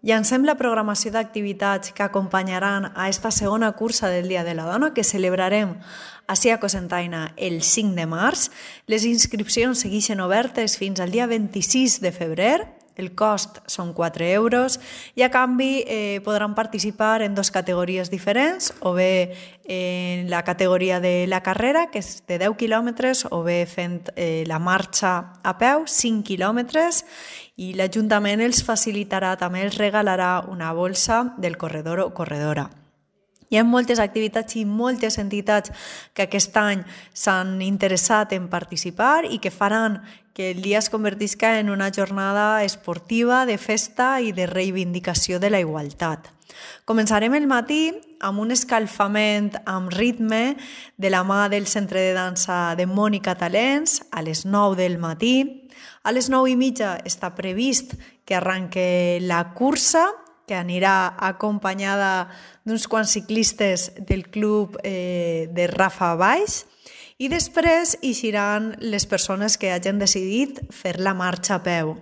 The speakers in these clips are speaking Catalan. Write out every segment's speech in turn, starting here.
Llancem la programació d'activitats que acompanyaran a esta segona cursa del Dia de la Dona que celebrarem ací a Cocentaina el 5 de març. Les inscripcions segueixen obertes fins al dia 26 de febrer. El cost són 4 euros i a canvi podran participar en 2 categories diferents, o bé en la categoria de la carrera, que és de 10 quilòmetres, o bé fent la marxa a peu, 5 quilòmetres, i l'Ajuntament els facilitarà, també els regalarà una bolsa del corredor o corredora. Hi ha moltes activitats i moltes entitats que aquest any s'han interessat en participar i que faran que el dia es convertisca en una jornada esportiva, de festa i de reivindicació de la igualtat. Començarem el matí amb un escalfament amb ritme de la mà del Centre de Dansa de Mònica Talents a les 9 del matí. A les 9:30 està previst que arranque la cursa, que anirà acompanyada d'uns quants ciclistes del club de Rafa Baix, i després eixiran les persones que hagin decidit fer la marxa a peu.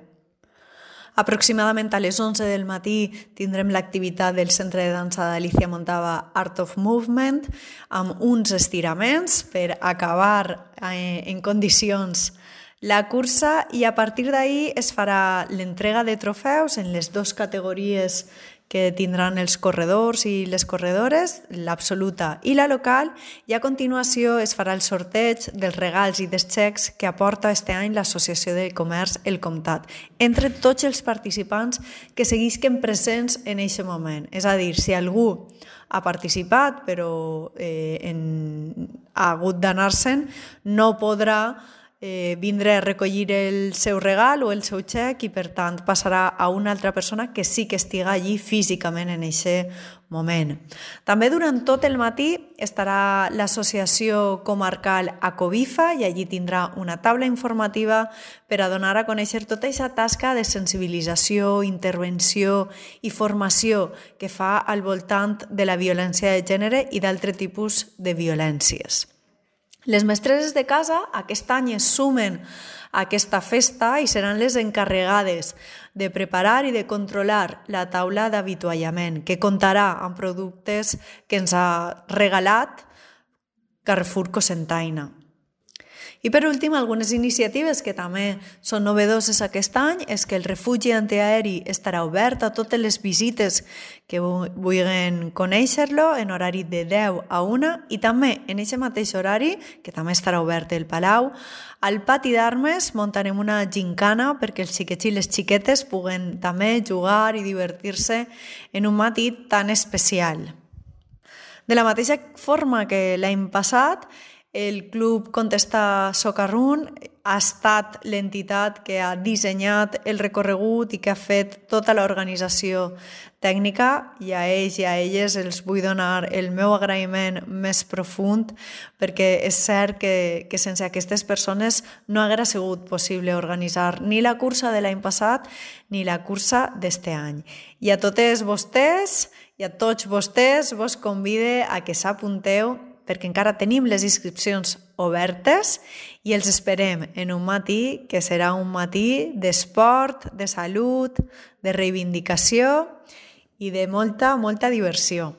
Aproximadament a les 11 del matí tindrem l'activitat del Centre de Dansa d'Alicia Montava Art of Movement amb uns estiraments per acabar en condicions la cursa, i a partir d'ahir es farà l'entrega de trofeus en les 2 categories que tindran els corredors i les corredores, l'absoluta i la local, i a continuació es farà el sorteig dels regals i dels xecs que aporta este any l'Associació de Comerç El Comtat, entre tots els participants que seguisquen presents en aquest moment. És a dir, si algú ha participat però ha hagut d'anar-se'n, no podrà vindre a recollir el seu regal o el seu xec, i per tant passarà a una altra persona que sí que estiga allí físicament en aquest moment. També durant tot el matí estarà l'associació comarcal Acobifa i allí tindrà una taula informativa per a donar a conèixer tota aquesta tasca de sensibilització, intervenció i formació que fa al voltant de la violència de gènere i d'altres tipus de violències. Les mestresses de casa aquest any es sumen a aquesta festa i seran les encarregades de preparar i de controlar la taula d'avituallament, que comptarà amb productes que ens ha regalat Carrefour Cocentaina. I per últim, algunes iniciatives que també són novedoses aquest any és que el refugi antiaeri estarà obert a totes les visites que vulguin conèixer-lo en horari de 10 a 1, i també en aquest mateix horari, que també estarà obert el Palau, al pati d'armes muntarem una gincana perquè els xiquets i les xiquetes puguen també jugar i divertir-se en un matí tan especial. De la mateixa forma que l'any passat, el Club Contestar Socarrún ha estat l'entitat que ha dissenyat el recorregut i que ha fet tota l'organització tècnica, i a ells i a elles els vull donar el meu agraïment més profund, perquè és cert que sense aquestes persones no haguera sigut possible organitzar ni la cursa de l'any passat ni la cursa d'este any. I a totes vostès i a tots vostès vos convide a que s'apunteu, perquè encara tenim les inscripcions obertes i els esperem en un matí que serà un matí d'esport, de salut, de reivindicació i de molta diversió.